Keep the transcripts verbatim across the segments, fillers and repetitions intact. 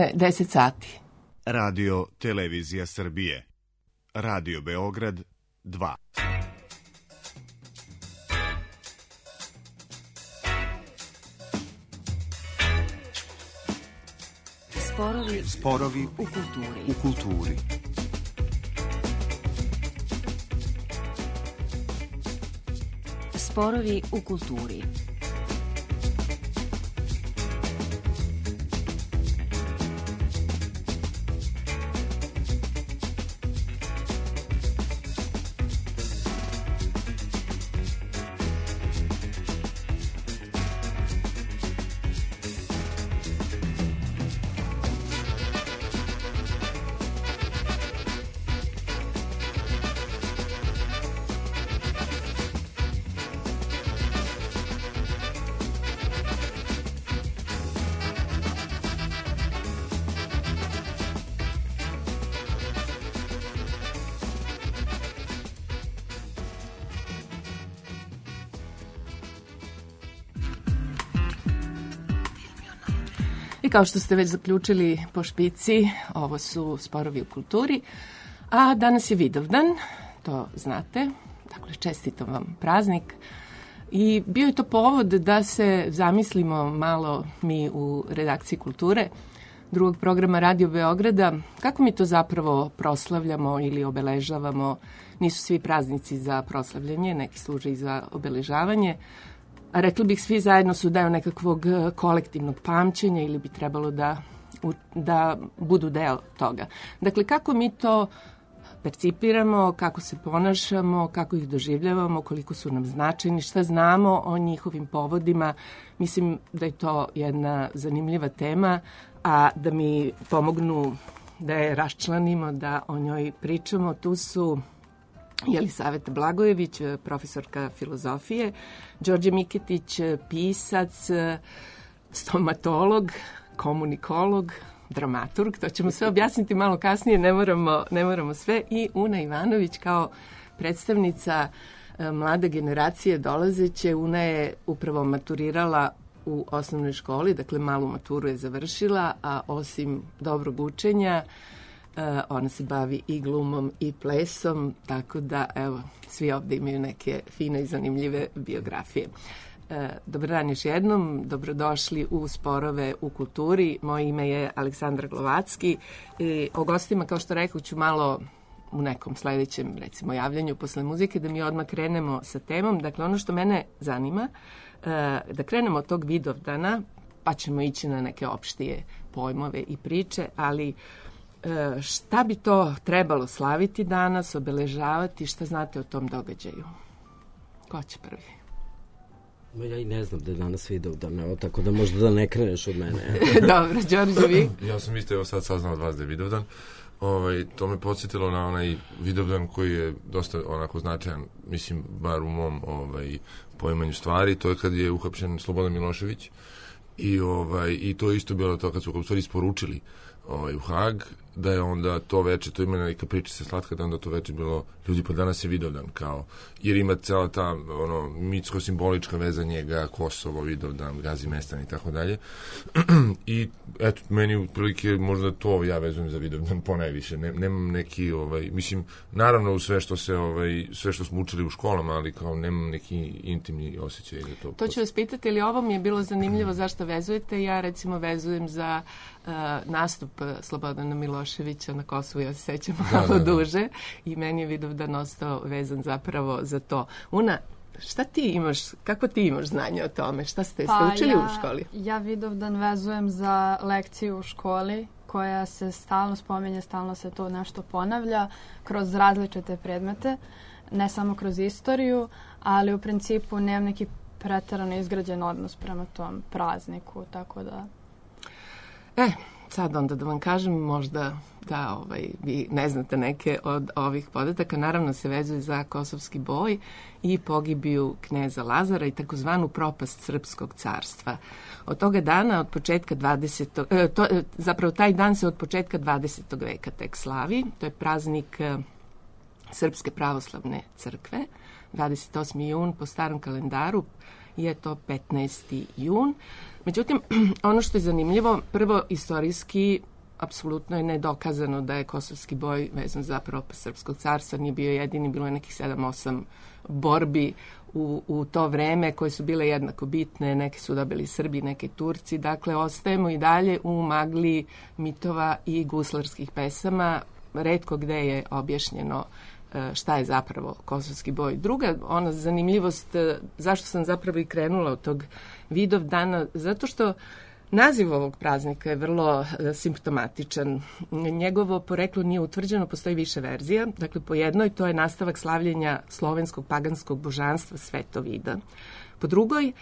je deset sati. Radio Televizija Srbije. Radio Beograd dva. Sporovi, Sporovi u kulturi. U kulturi. Sporovi u kulturi. I kao što ste već zaključili po špici, ovo su Sporovi u kulturi, a danas je Vidovdan, to znate, dakle čestitam vam praznik. I bio je to povod da se zamislimo malo mi u redakciji kulture drugog programa Radio Beograda, kako mi to zapravo proslavljamo ili obeležavamo. Nisu svi praznici za proslavljanje, neki služe i za obeležavanje. A rekli bih, svi zajedno su deo nekakvog kolektivnog pamćenja ili bi trebalo da, da budu deo toga. Dakle, kako mi to percipiramo, kako se ponašamo, kako ih doživljavamo, koliko su nam značajni, šta znamo o njihovim povodima. Mislim da je to jedna zanimljiva tema, a da mi pomognu da je raščlanimo, da o njoj pričamo, tu su Jelisaveta Blagojević, profesorka filozofije, Đorđe Miketić, pisac, stomatolog, komunikolog, dramaturg, to ćemo sve objasniti malo kasnije, ne moramo, ne moramo sve, i Una Ivanović kao predstavnica mlade generacije dolazeće. Una je upravo maturirala u osnovnoj školi, dakle malu maturu je završila, a osim dobrog učenja, ona se bavi i glumom i plesom, tako da, evo, svi ovde imaju neke fine i zanimljive biografije. Dobar dan još jednom, dobrodošli u Sporove u kulturi. Moje ime je Aleksandra Glovacki i o gostima, kao što rekao, ću malo u nekom sledećem, recimo, javljanju posle muzike, da mi odmah krenemo sa temom. Dakle, ono što mene zanima, da krenemo od tog Vidovdana, pa ćemo ići na neke opštije pojmove i priče, ali šta bi to trebalo slaviti danas, obeležavati, šta znate o tom događaju? Ko će prvi? Ja i ne znam da je danas Vidovdan, evo, tako da možda da ne kreneš od mene. Dobro, Đorđe, vi? Ja sam isto evo sad saznao od vas da je Vidovdan. Ovaj, to me podsjetilo na onaj Vidovdan koji je dosta onako značajan, mislim, bar u mom ovaj, poimanju stvari. To je kad je uhapšen Slobodan Milošević i, ovaj, i to je isto bilo to kad su u stvari isporučili ovaj, u Hag, da je onda to veče, to ima neka pričica slatka, da onda to veče bilo, ljudi, pa danas je Vidovdan, kao, jer ima cela ta, ono, mitsko-simbolička veza njega, Kosovo, Vidovdan, Gazimestan i tako dalje. I, eto, meni u prilike možda to ja vezujem za Vidovdan ponajviše, ne, nemam neki, ovaj, mislim, naravno u sve što se, ovaj, sve što smo učili u školama, ali kao nemam neki intimni osjećaj za to. To ću vas pitati, ali ovo mi je bilo zanimljivo zašto vezujete. Ja, recimo, vezujem za uh, nastup Slobodana Miloševića na Kosovu, ja se sećam malo da, da, da. duže, i meni je Vidovdan ostao vezan zapravo za to. Una, šta ti imaš, kako ti imaš znanje o tome? Šta ste, pa ste učili ja, u školi? Ja Vidovdan vezujem za lekciju u školi koja se stalno spominje, stalno se to nešto ponavlja kroz različite predmete, ne samo kroz istoriju, ali u principu nemam neki preterano izgrađen odnos prema tom prazniku, tako da... E, sad onda da vam kažem, možda da ovaj, vi ne znate neke od ovih podataka, naravno se vezuje za Kosovski boj i pogibiju kneza Lazara i takozvanu propast Srpskog carstva. Od toga dana, od početka dvadesetog E, to, zapravo taj dan se od početka dvadesetog veka tek slavi. To je praznik e, Srpske pravoslavne crkve, dvadeset osmi jun po starom kalendaru je to petnaesti jun. Međutim, ono što je zanimljivo, prvo istorijski apsolutno je nedokazano da je kosovski boj vezan za propast Srpskog carstva, nije bio jedini, bilo je nekih sedam osam borbi u, u to vreme koje su bile jednako bitne, neke su dobili Srbi, neke Turci, dakle ostajemo i dalje u magli mitova i guslarskih pesama, retko gde je objašnjeno šta je zapravo kosovski boj. Druga, ona zanimljivost, zašto sam zapravo i krenula od tog Vidovdana, zato što naziv ovog praznika je vrlo simptomatičan. Njegovo poreklo nije utvrđeno, postoji više verzija. Dakle, po jednoj to je nastavak slavljenja slovenskog paganskog božanstva Svetovida. Po drugoj,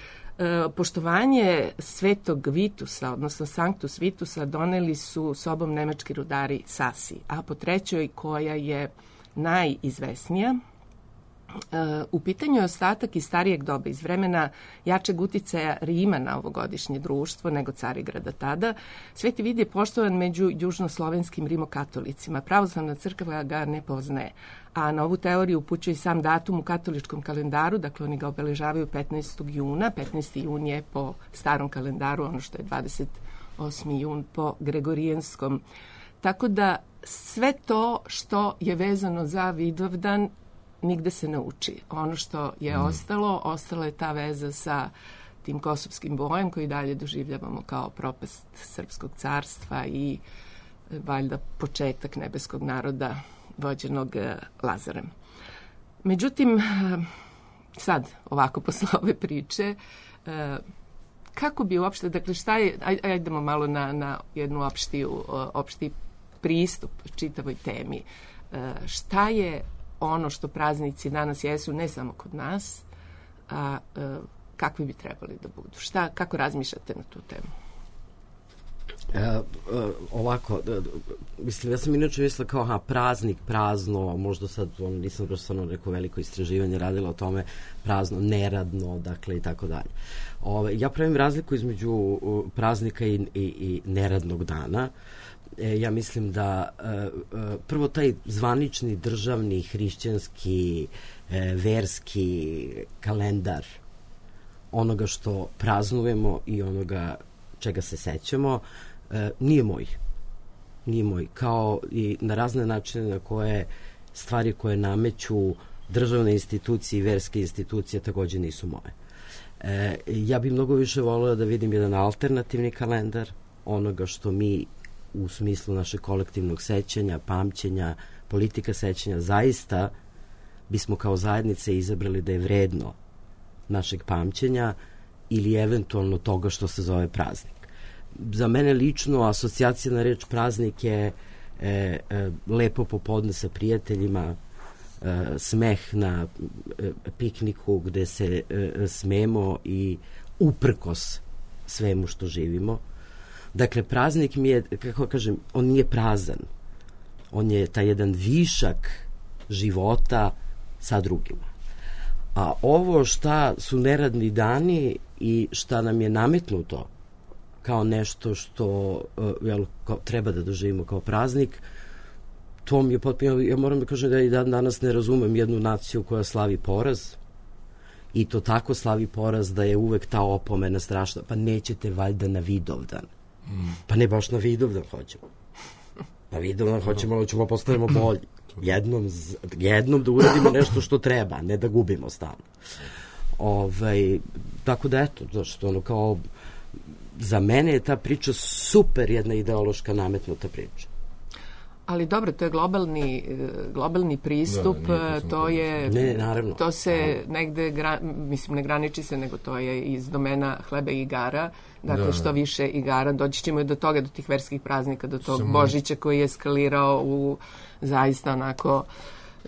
poštovanje Svetog Vitusa, odnosno Sanctus Vitusa, doneli su sobom nemački rudari Sasi. A po trećoj, koja je najizvesnija, u pitanju je ostatak iz starijeg doba, iz vremena jačeg uticaja Rima na ovogodišnje društvo nego Carigrada tada. Sveti Vid je poštovan među južnoslovenskim rimokatolicima. Pravoslavna crkva ga ne poznaje, a na ovu teoriju upućuje i sam datum u katoličkom kalendaru, dakle oni ga obeležavaju petnaestog juna, petnaesti jun je po starom kalendaru, ono što je dvadeset osmi jun po gregorijanskom. Tako da sve to što je vezano za Vidovdan nigde se ne uči. Ono što je mm. ostalo, ostala je ta veza sa tim kosovskim bojem koji dalje doživljavamo kao propast Srpskog carstva i valjda početak nebeskog naroda vođenog Lazarem. Međutim, sad ovako posle ove priče, kako bi uopšte, dakle šta je, ajdemo malo na, na jednu opštiju, opšti pristup čitavoj temi. Šta je ono što praznici danas jesu, ne samo kod nas, a e, kakvi bi trebali da budu? Šta, kako razmišljate na tu temu? E, e, ovako, e, mislim, ja sam inače mislila kao, aha, praznik, prazno, možda sad, on, nisam baš stvarno neko veliko istraživanje radila o tome, prazno, neradno, dakle, i tako dalje. Ove, ja pravim razliku između uh, praznika i, i, i neradnog dana. E, ja mislim da e, e, prvo taj zvanični državni hrišćanski e, verski kalendar onoga što praznujemo i onoga čega se sećamo e, nije moj. Nije moj. Kao i na razne načine na koje stvari koje nameću državne institucije i verske institucije takođe nisu moje. E, ja bih mnogo više volila da vidim jedan alternativni kalendar onoga što mi u smislu našeg kolektivnog sećanja, pamćenja, politika sećanja, zaista bismo kao zajednice izabrali da je vredno našeg pamćenja ili eventualno toga što se zove praznik. Za mene lično asocijacija na reč praznik je e, e, lepo popodne sa prijateljima, e, smeh na e, pikniku gde se e, smemo i uprkos svemu što živimo. Dakle, praznik mi je, kako kažem, on nije prazan. On je taj jedan višak života sa drugima. A ovo šta su neradni dani i šta nam je nametnuto kao nešto što uh, jel, kao, treba da doživimo kao praznik, to mi je potpuno, ja moram da kažem da i dan danas ne razumem jednu naciju koja slavi poraz i to tako slavi poraz da je uvek ta opomena strašna. Pa nećete valjda na Vidovdan. Pa ne baš na Vidovdan hoćemo. Na Vidovdan hoćemo, ali ćemo postavimo bolji. Jednom, jednom da uradimo nešto što treba, ne da gubimo stalno. Ovaj, tako da eto, zašto ono kao za mene je ta priča super jedna ideološka nametnuta priča. Ali dobro, to je globalni, globalni pristup, da, to, to je... Ne, naravno. To se negde, gra, mislim, ne graniči se, nego to je iz domena hleba i igara. Dakle, da, što više igara, doći ćemo i do toga, do tih verskih praznika, do tog Samo... Božića koji je eskalirao u zaista onako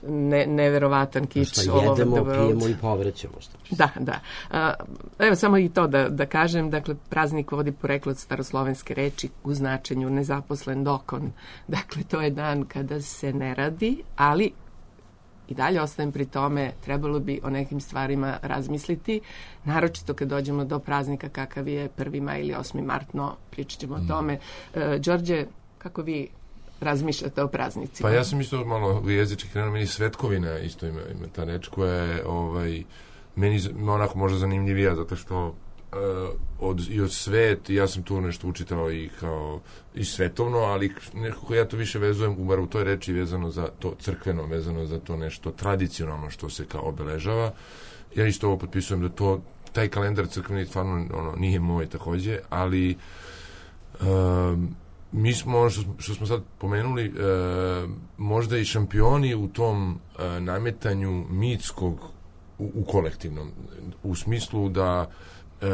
ne, neverovatan kič. Šta jedemo, pijemo i povraćamo. Što da, da. A, evo samo i to da, da kažem, dakle, praznik vodi poreklo od staroslovenske reči u značenju nezaposlen dokon. Dakle, to je dan kada se ne radi, ali i dalje ostajem pri tome, trebalo bi o nekim stvarima razmisliti, naročito kad dođemo do praznika kakav je prvi maj ili osmi mart, no pričat ćemo mm. o tome. E, Đorđe, kako vi razmišljate o praznicima? Pa ja sam isto malo jezički krenuo, meni svetkovina isto ima, ima ta reč koja je ovaj, meni onako možda zanimljivija, zato što od, i od svet, ja sam tu nešto učitao i kao i svetovno, ali nekako ja to više vezujem, bar u toj reči vezano za to crkveno, vezano za to nešto tradicionalno što se kao obeležava. Ja isto ovo potpisujem da to, taj kalendar crkveni stvarno ono, nije moj takođe, ali um, mi smo, ono što, što smo sad pomenuli, e, možda i šampioni u tom e, nametanju mitskog u, u kolektivnom, u smislu da e,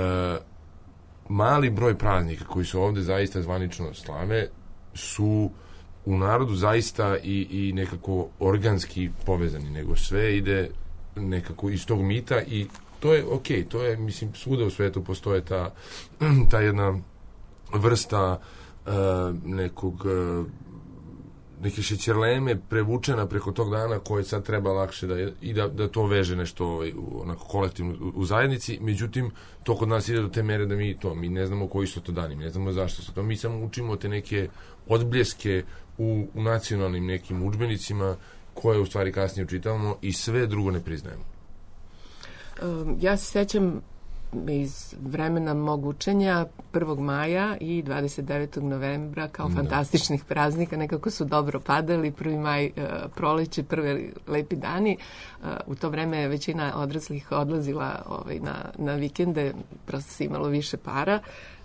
mali broj praznika koji su ovde zaista zvanično slave su u narodu zaista i, i nekako organski povezani, nego sve ide nekako iz tog mita i to je okej, to je, mislim, svuda u svetu postoje ta, ta jedna vrsta Uh, nekog uh, neke šećerleme prevučena preko tog dana koje sad treba lakše da je, i da, da to veže nešto ovaj, onako kolektivno u, u zajednici, međutim to kod nas ide do te mere da mi to, mi ne znamo koji su to dani, mi ne znamo zašto su to, mi samo učimo te neke odbljeske u, u nacionalnim nekim udžbenicima koje u stvari kasnije učitavamo i sve drugo ne priznajemo. Um, ja se sećam iz vremena mog učenja prvog maja i dvadeset devetog novembra kao da. fantastičnih praznika, nekako su dobro padali, prvi maj uh, proleće, prvi lepi dani. Uh, u to vreme je većina odraslih odlazila ovaj, na, na vikende, prosto se imalo više para,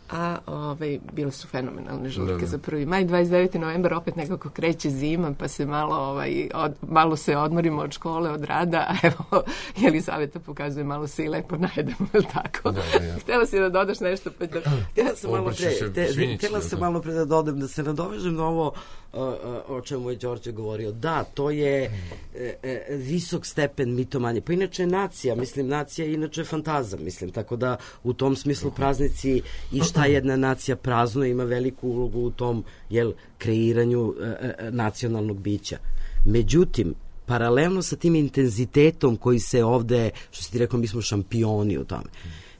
a ovaj, bile su fenomenalne žurke da, da. za prvi maj. dvadeset deveti novembar opet nekako kreće zima, pa se malo, ovaj, od, malo se odmorimo od škole, od rada, a evo, Jelisaveta pokazuje, malo se i lepo najedemo, ili tako? Da, da, ja. Htjela si da dodaš nešto? Pa da... Htjela sam malo pre, te, htjela sam malo pre da dodam, da se nadovežem na ovo uh, uh, o čemu je Đorđe govorio. Da, to je uh, uh, visok stepen mitomanje. Pa inače nacija, mislim, nacija je inače fantazam, mislim, tako da u tom smislu praznici i šta jedna nacija praznuje ima veliku ulogu u tom, jel, kreiranju e, e, nacionalnog bića. Međutim, paralelno sa tim intenzitetom koji se ovde, što si ti rekao, mi smo šampioni u tome,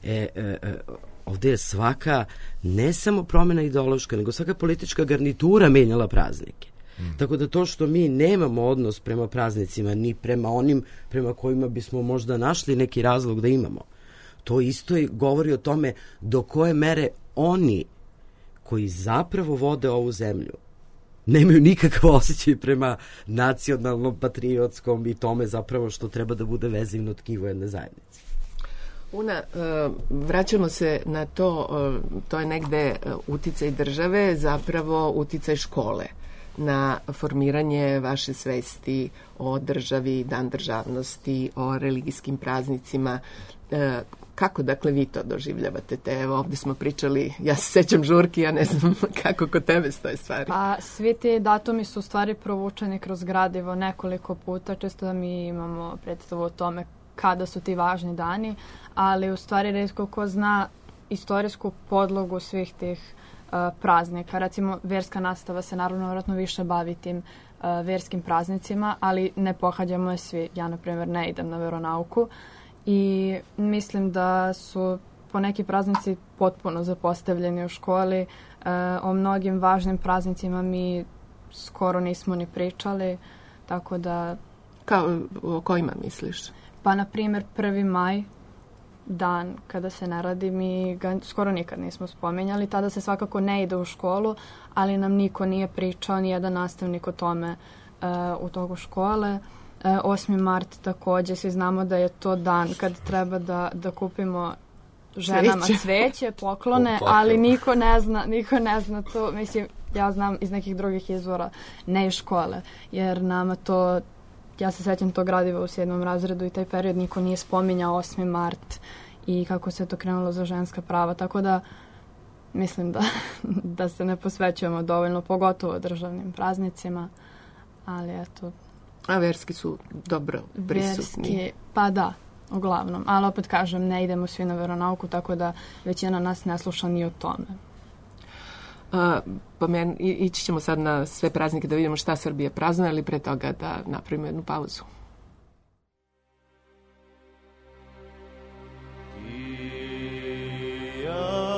e, e, e, ovde je svaka, ne samo promjena ideološka, nego svaka politička garnitura menjala praznike. Mm. Tako da to što mi nemamo odnos prema praznicima, ni prema onim prema kojima bismo možda našli neki razlog da imamo, to isto i govori o tome do koje mere oni koji zapravo vode ovu zemlju nemaju nikakav osjećaj prema nacionalnom, patriotskom i tome zapravo što treba da bude vezivno tkivo jedne zajednice. Una, vraćamo se na to, to je negde uticaj države, zapravo uticaj škole na formiranje vaše svesti o državi, dan državnosti, o religijskim praznicima. Kako, dakle, vi to doživljavate? Te, evo, ovde smo pričali, ja se sećam žurki, ja ne znam kako kod tebe stoje stvari. Pa, svi ti datumi su u stvari provučeni kroz gradivo nekoliko puta, često da mi imamo predstavu o tome kada su ti važni dani, ali u stvari retko ko zna istorijsku podlogu svih tih uh, praznika. Recimo, verska nastava se naravno vjerojatno više bavi tim uh, verskim praznicima, ali ne pohađamo je svi. Ja, na primjer, ne idem na veronauku. I mislim da su po neki praznici potpuno zapostavljeni u školi. E, o mnogim važnim praznicima mi skoro nismo ni pričali, tako da... Kao, o kojima misliš? Pa, na primjer, prvi maj, dan kada se ne radi, mi ga skoro nikad nismo spomenjali. Tada se svakako ne ide u školu, ali nam niko nije pričao, nijedan nastavnik o tome e, u toku škole. osmi mart takođe, svi znamo da je to dan kad treba da, da kupimo ženama cveće, cveće poklone, ali niko ne zna, niko ne zna to, mislim, ja znam iz nekih drugih izvora, ne iz škole, jer nama to, ja se sećam tog gradiva u sedmom razredu i taj period niko nije spominjao osmi mart i kako se to krenulo za ženska prava, tako da mislim da, da se ne posvećujemo dovoljno, pogotovo državnim praznicima, ali eto. A verski su dobro prisutni. Verski, pa da, uglavnom. Ali opet kažem, ne idemo svi na veronauku, tako da većina nas ne sluša ni o tome. A, pa men, ići ćemo sad na sve praznike da vidimo šta Srbija praznuje, ali pre toga da napravimo jednu pauzu. Da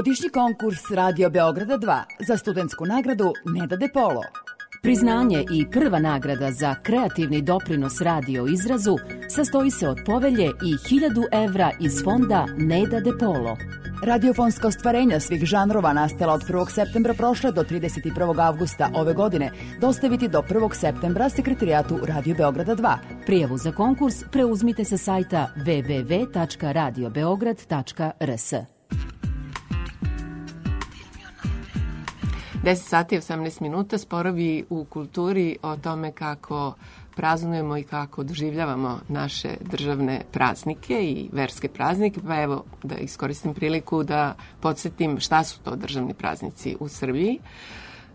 Godišnji konkurs Radio Beograda dva za studentsku nagradu Neda De Polo. Priznanje i prva nagrada za kreativni doprinos radio izrazu sastoji se od povelje i hiljadu evra iz fonda Neda De Polo. Radiofonska ostvarenja svih žanrova nastala od prvog septembra prošle do trideset prvog avgusta ove godine dostaviti do prvog septembra sekretarijatu Radio Beograda dva. Prijavu za konkurs preuzmite sa sajta w w w tačka radio beograd tačka r s. deset sati i osamnaest minuta, sporovi u kulturi o tome kako praznujemo i kako doživljavamo naše državne praznike i verske praznike, pa evo da iskoristim priliku da podsjetim šta su to državni praznici u Srbiji.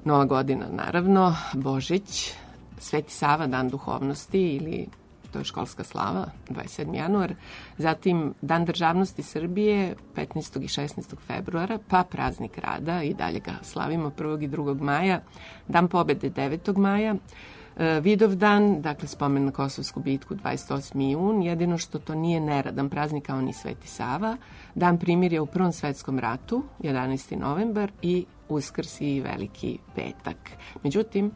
Nova godina, naravno, Božić, Sveti Sava, Dan duhovnosti ili to je školska slava, dvadeset sedmi januar, zatim Dan državnosti Srbije, petnaestog i šesnaestog februara, pa praznik rada, i dalje ga slavimo prvog i drugog maja, Dan pobede devetog maja, Vidovdan, dakle spomen na Kosovsku bitku dvadeset osmi jun, jedino što to nije neradan praznik kao ni Sveti Sava, Dan primirja u Prvom svetskom ratu, jedanaesti novembar, i Uskrs i Veliki petak. Međutim,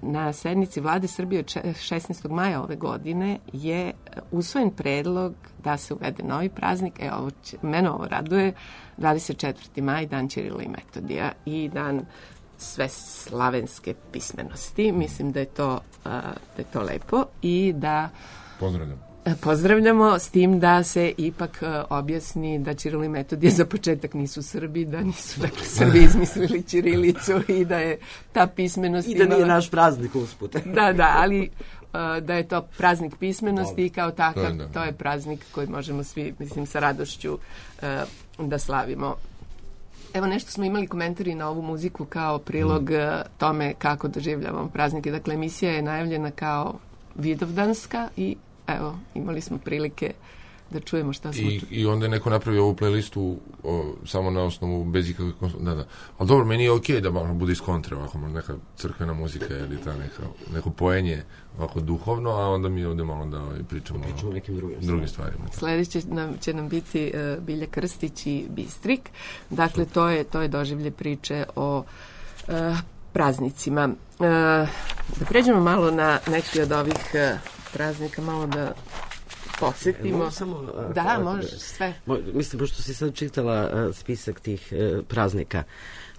na sednici Vlade Srbije od šesnaestog maja ove godine je usvojen predlog da se uvede novi praznik, e, ovo će, mene ovo raduje, dvadeset četvrti maj, Dan Ćirila i Metodija i Dan sve slavenske pismenosti. Mislim da je to, da je to lepo i da pozdravljam. Pozdravljamo, s tim da se ipak objasni da Ćiril i Metodije za početak nisu Srbi, da nisu dakle, Srbi izmislili ćirilicu i da je ta pismenost... I da nije imala... naš praznik usput. Da, da, ali da je to praznik pismenosti Dobre. I kao takav to je, to je praznik koji možemo svi, mislim, sa radošću da slavimo. Evo nešto smo imali komentari na ovu muziku kao prilog mm. tome kako doživljavamo praznike. Dakle, emisija je najavljena kao vidovdanska i evo, imali smo prilike da čujemo šta smo I, I onda je neko napravio ovu playlistu o, samo na osnovu bez ikakve konsultacije. Da, da. Ali dobro, meni je okej okay da malo bude iz kontre, ovako neka crkvena muzika ili ta neka, neko poenje ovako duhovno, a onda mi ovde malo da pričamo, pričamo o nekim drugim, drugim stvarima. Sledeće nam, će nam biti uh, Bilja Krstić i Bistrik. Dakle, to je, to je doživlje priče o uh, praznicima. Uh, da pređemo malo na neki od ovih uh, praznika, malo da posjetimo. E, samo, a, da, a, možeš sve. Mo, mislim, pošto si sad čitala a, spisak tih a, praznika,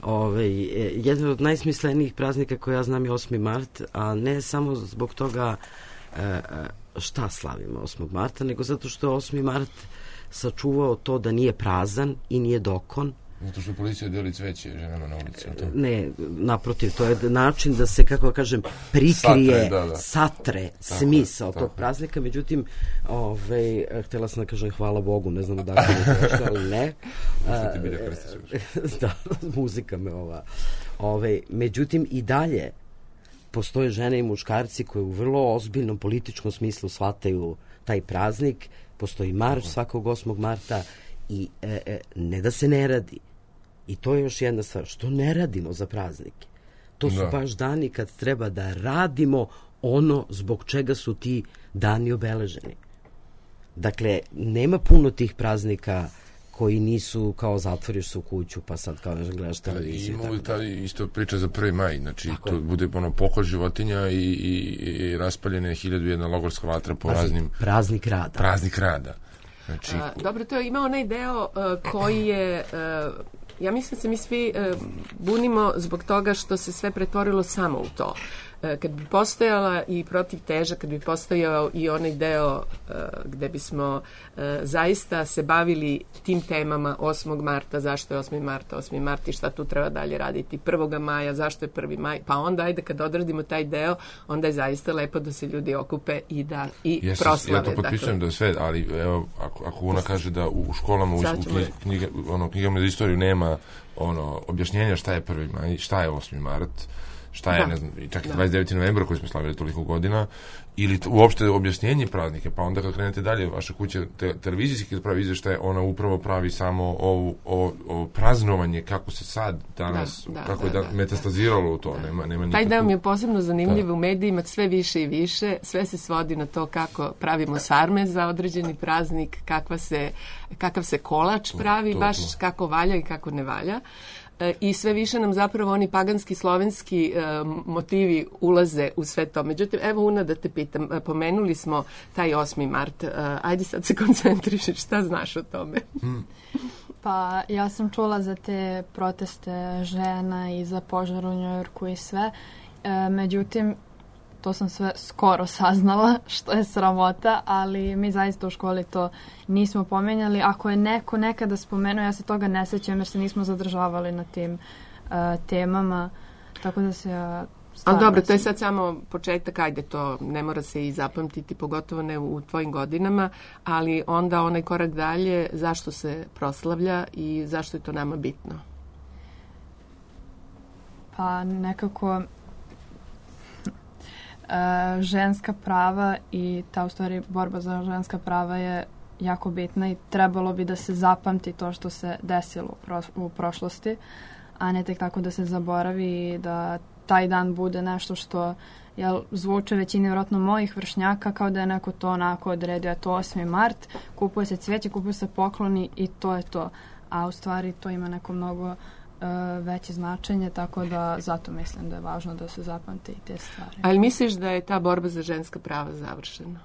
Ove, jedan od najsmislenijih praznika koje ja znam je osmi mart, a ne samo zbog toga a, šta slavimo osmog marta, nego zato što je osmi mart sačuvao to da nije prazan i nije dokon. Zato što policija deli cveće ženama na ulici. Ne, naprotiv, to je način da se, kako kažem, prikrije, satre, da, da. satre smisao tog praznika. Međutim, ovaj, htjela sam da kažem hvala Bogu, ne znam da li je to ali ne. Ti Bilja Krstić. Da, muzika me ova. Ovaj, međutim, i dalje postoje žene i muškarci koji u vrlo ozbiljnom političkom smislu shvataju taj praznik. Postoji marš svakog osmog marta i e, e, ne da se ne radi. I to je još jedna stvar. Što ne radimo za praznike? To su da. baš dani kad treba da radimo ono zbog čega su ti dani obeleženi. Dakle, nema puno tih praznika koji nisu kao zatvoriš se u kuću pa sad kao nešto gledaš televiziju. Ima ta isto priča za prvi maj. Znači, tako to je. Bude ono pokol životinja i, i, i raspaljene hiljadu jedna logorska vatra po Praznik, raznim... Praznik rada. Praznik rada. Znači... A, dobro, to je ima onaj deo uh, koji je... Uh, ja mislim se mi svi uh, bunimo zbog toga što se sve pretvorilo samo u to. Uh, kad bi postojala i protiv teža, kad bi postojao i onaj deo uh, gde bismo uh, zaista se bavili tim temama osmog marta, zašto je osmi mart, osmi mart i šta tu treba dalje raditi, prvog maja, zašto je prvi maj, pa onda ajde kad odradimo taj deo, onda je zaista lepo da se ljudi okupe i da i Jesu, proslave. Ja to potpisujem dakle. Da sve, ali evo, ako, ako ona kaže da u školama, u, u knjiga, ono, knjigama za istoriju nema ono, objašnjenja šta je prvi maj, šta je osmi mart, šta je, da. ne znam, čak i dvadeset deveti novembra koji smo slavili toliko godina, ili t- uopšte objašnjenje praznike, pa onda kad krenete dalje, vaša kuća te, televizijski kad pravi izveštaje, ona upravo pravi samo ovu, o, o praznovanje kako se sad danas, da, da, kako da, je da, da, metastaziralo u to, da. nema, nema Taj nikakvu... deo mi je posebno zanimljiv da. u medijima, sve više i više, sve se svodi na to kako pravimo sarme za određeni praznik, kakva se, kakav se kolač pravi, to, baš to. kako valja i kako ne valja. I sve više nam zapravo oni paganski, slovenski e, motivi ulaze u sve to. Međutim, evo Una da te pitam, pomenuli smo taj osmi mart. E, ajde sad se koncentriši, šta znaš o tome? Hmm. Pa ja sam čula za te proteste žena i za požar u Njujorku i sve. E, međutim, to sam sve skoro saznala, što je sramota, ali mi zaista u školi to nismo pomenjali. Ako je neko nekada spomenuo, ja se toga ne sećam jer se nismo zadržavali na tim uh, temama, tako da se ja... Ali dobro, to je sad samo početak, ajde, to ne mora se i zapamtiti, pogotovo ne u tvojim godinama, ali onda onaj korak dalje, zašto se proslavlja i zašto je to nama bitno? Pa nekako... Uh, ženska prava i ta u stvari borba za ženska prava je jako bitna i trebalo bi da se zapamti to što se desilo u, pro, u prošlosti, a ne tek tako da se zaboravi i da taj dan bude nešto što jel, zvuče većini vjerojatno mojih vršnjaka kao da je neko to onako odredio, je to osmi mart, kupuje se cvijeće, kupuje se pokloni i to je to, a u stvari to ima neko mnogo veće značenje, tako da zato mislim da je važno da se zapamte i te stvari. Ali misliš da je ta borba za ženska prava završena?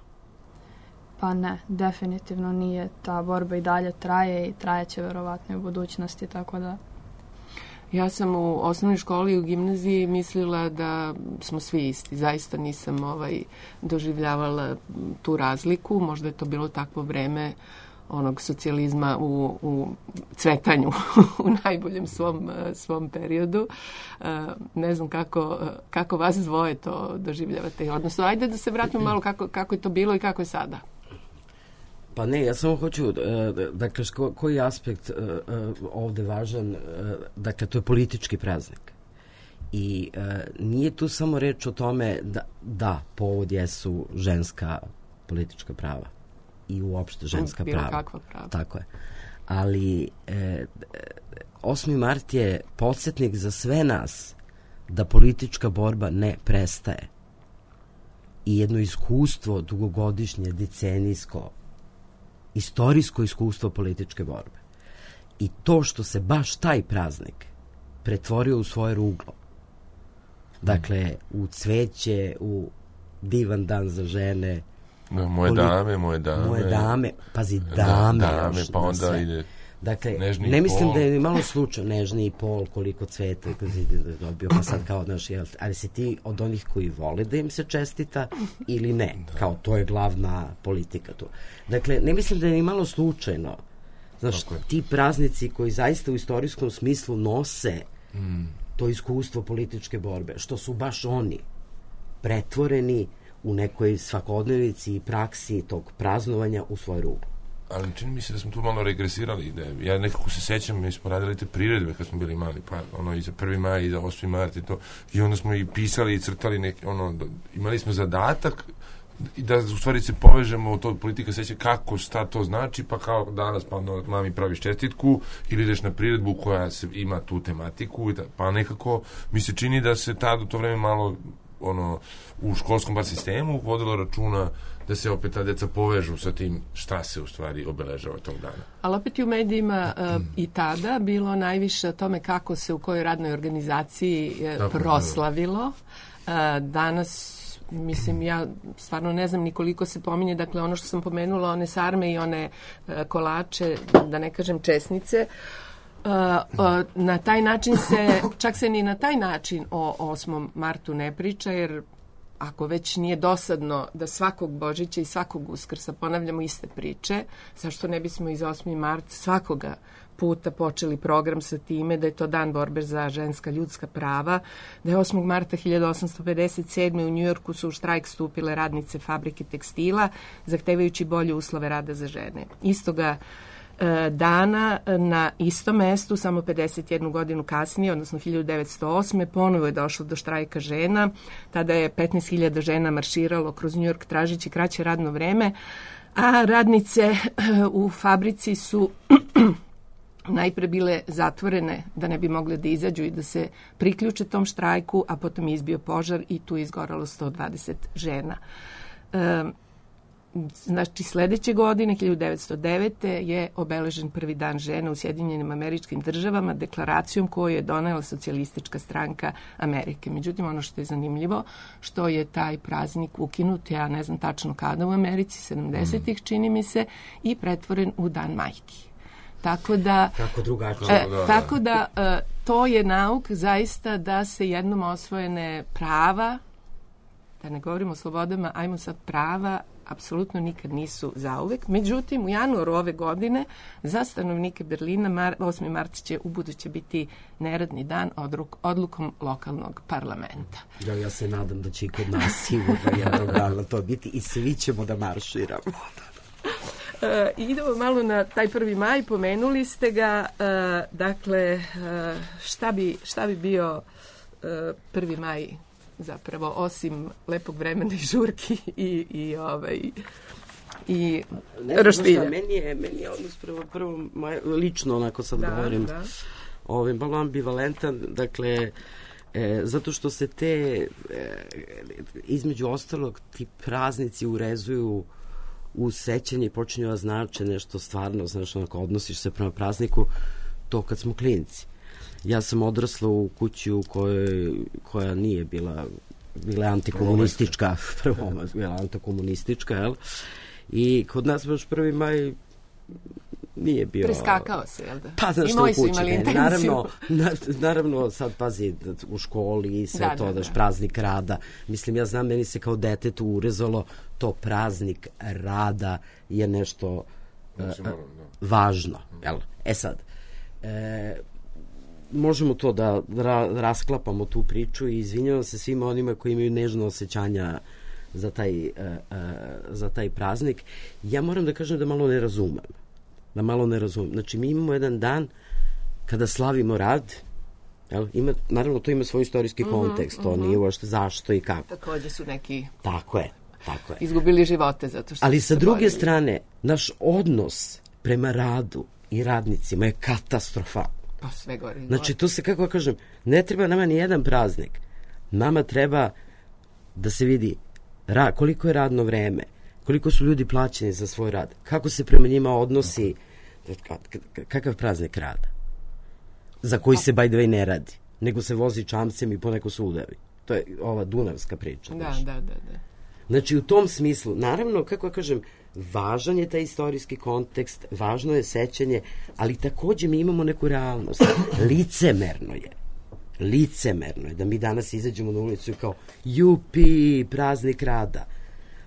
Pa ne, definitivno nije. Ta borba i dalje traje i trajeće verovatno i u budućnosti, tako da... Ja sam u osnovnoj školi i u gimnaziji mislila da smo svi isti. Zaista nisam ovaj, doživljavala tu razliku. Možda je to bilo takvo vreme onog socijalizma u, u cvetanju u najboljem svom, svom periodu. Ne znam kako, kako vas dvoje to doživljavate. Odnosno, ajde da se vratimo malo kako, kako je to bilo i kako je sada. Pa ne, ja samo hoću, dakle, ko, koji aspekt ovde važan, dakle, to je politički praznik. I nije tu samo reč o tome da, da povod jesu ženska politička prava i uopšte ženska bilo prava. Kakva prava. Tako je. Ali e, osmi mart je podsjetnik za sve nas da politička borba ne prestaje. I jedno iskustvo dugogodišnje, decenijsko, istorijsko iskustvo političke borbe. I to što se baš taj praznik pretvorio u svoje ruglo. Dakle, u cveće, u divan dan za žene. Da, moje Koliko, dame, moje dame. Moje dame, pazi, dame. Da, dame, još, pa onda sve. ide dakle, nežni ne mislim pol. da je ni malo slučaj nežni i pol, koliko cveta je dobio, pa sad kao, znaš, jel, ali si ti od onih koji vole da im se čestita ili ne? Da. Kao, to je glavna politika tu. Dakle, ne mislim da je ni malo slučajno. Znaš, ti praznici koji zaista u istorijskom smislu nose mm. to iskustvo političke borbe, što su baš oni pretvoreni u nekoj svakodnevici i praksi tog praznovanja u svoj ruglu. Ali čini mi se da smo tu malo regresirali. Da ja nekako se sećam, mi smo radili te priredbe kad smo bili mali, pa ono i za prvi maj i za osmi mart i to. I onda smo i pisali i crtali neki, ono, da, imali smo zadatak i da u stvari se povežemo u to politika seća kako, šta to znači, pa kao danas pa onda mami praviš čestitku ili ideš na priredbu koja se, ima tu tematiku, pa nekako mi se čini da se tad u to vreme malo ono, u školskom bar sistemu vodilo računa da se opet ta deca povežu sa tim šta se u stvari obeležava tog dana. Ali opet i u medijima uh, i tada bilo najviše o tome kako se u kojoj radnoj organizaciji uh, proslavilo. Uh, danas, mislim, ja stvarno ne znam nikoliko se pominje, dakle ono što sam pomenula, one sarme i one uh, kolače, da ne kažem česnice, Uh, uh, na taj način se, čak se ni na taj način o osmom martu ne priča, jer ako već nije dosadno da svakog Božića i svakog Uskrsa ponavljamo iste priče, zašto ne bismo iz osmi mart svakoga puta počeli program sa time da je to dan borbe za ženska ljudska prava, da je osmog marta hiljadu osamsto pedeset sedme u Njujorku su u štrajk stupile radnice fabrike tekstila, zahtevajući bolje uslove rada za žene. Istoga dana na istom mestu, samo pedeset jednu godinu kasnije, odnosno hiljadu devetsto osme. ponovo je došlo do štrajka žena. Tada je petnaest hiljada žena marširalo kroz Njujork tražeći kraće radno vreme, a radnice u fabrici su najpre bile zatvorene da ne bi mogle da izađu i da se priključe tom štrajku, a potom je izbio požar i tu je izgoralo sto dvadeset žena. E, Znači, sledeće godine, hiljadu devetsto devete. je obeležen prvi dan žena u Sjedinjenim Američkim Državama deklaracijom koju je donela Socijalistička stranka Amerike. Međutim, ono što je zanimljivo, što je taj praznik ukinut, ja ne znam tačno kada u Americi, sedamdesetih čini mi se, i pretvoren u Dan majki. Tako da, Kako drugačije. E, tako da e, to je nauk zaista da se jednom osvojene prava, da ne govorimo o slobodama, ajmo sad prava, apsolutno nikad nisu zauvek. Međutim, u januaru ove godine za stanovnike Berlina mar, osmi mart će ubuduće biti neradni dan odruk, odlukom lokalnog parlamenta. Ja, ja se nadam da će i kod nas sigurno jednog dana to biti i svi ćemo da marširamo. E, idemo malo na taj prvi maj, pomenuli ste ga, e, dakle, e, šta, bi, šta bi bio e, prvi maj zapravo, osim lepog vremena i žurki i, i, ovaj, i roštilja. Meni je, meni je odnos prvo, prvo maj, lično, onako sad da, govorim, da. Ovaj, malo ambivalentan, dakle, e, zato što se te, e, između ostalog, ti praznici urezuju u sećanje i počinju da znače nešto stvarno, znaš, onako, odnosiš se prema prazniku, to kad smo klinci. Ja sam odrasla u kući u kojoj, koja nije bila, bila antikomunistička, prvo bila antikomunistička, jel? I kod nas baš prvi maj nije bio... Preskakao se, jel da? Pa, znaš što, u kući. Ne, naravno, na, naravno, sad pazi, u školi i sve da, to, da, daš da. Praznik rada. Mislim, ja znam, meni se kao detetu urezalo to praznik rada je nešto znači, uh, moram, da. važno, jel? E sad, e, možemo to da ra, rasklapamo tu priču i izvinjavam se svima onima koji imaju nežno osjećanja za taj, uh, uh, za taj praznik. Ja moram da kažem da malo ne razumem. Da malo ne razumem. Znači, mi imamo jedan dan kada slavimo rad, jel? Ima, naravno, to ima svoj istorijski mm-hmm, kontekst, to mm-hmm. nije uopšte zašto i kako. Takođe su neki... Tako je, tako je. Izgubili živote zato što ali sa druge borili. strane, naš odnos prema radu i radnicima je katastrofal. Pa sve gore. Znači, to se, kako kažem, ne treba nama ni jedan praznik. Nama treba da se vidi ra, koliko je radno vreme, koliko su ljudi plaćeni za svoj rad, kako se prema njima odnosi, kakav praznik rada, za koji se by the way ne radi, nego se vozi čamcem i poneko se udavi. To je ova dunavska priča. Da, da, da, da. Znači, u tom smislu, naravno, kako ja kažem, važan je taj istorijski kontekst, važno je sećanje, ali takođe mi imamo neku realnost. Licemerno je. Licemerno je da mi danas izađemo na ulicu i kao jupi, praznik rada.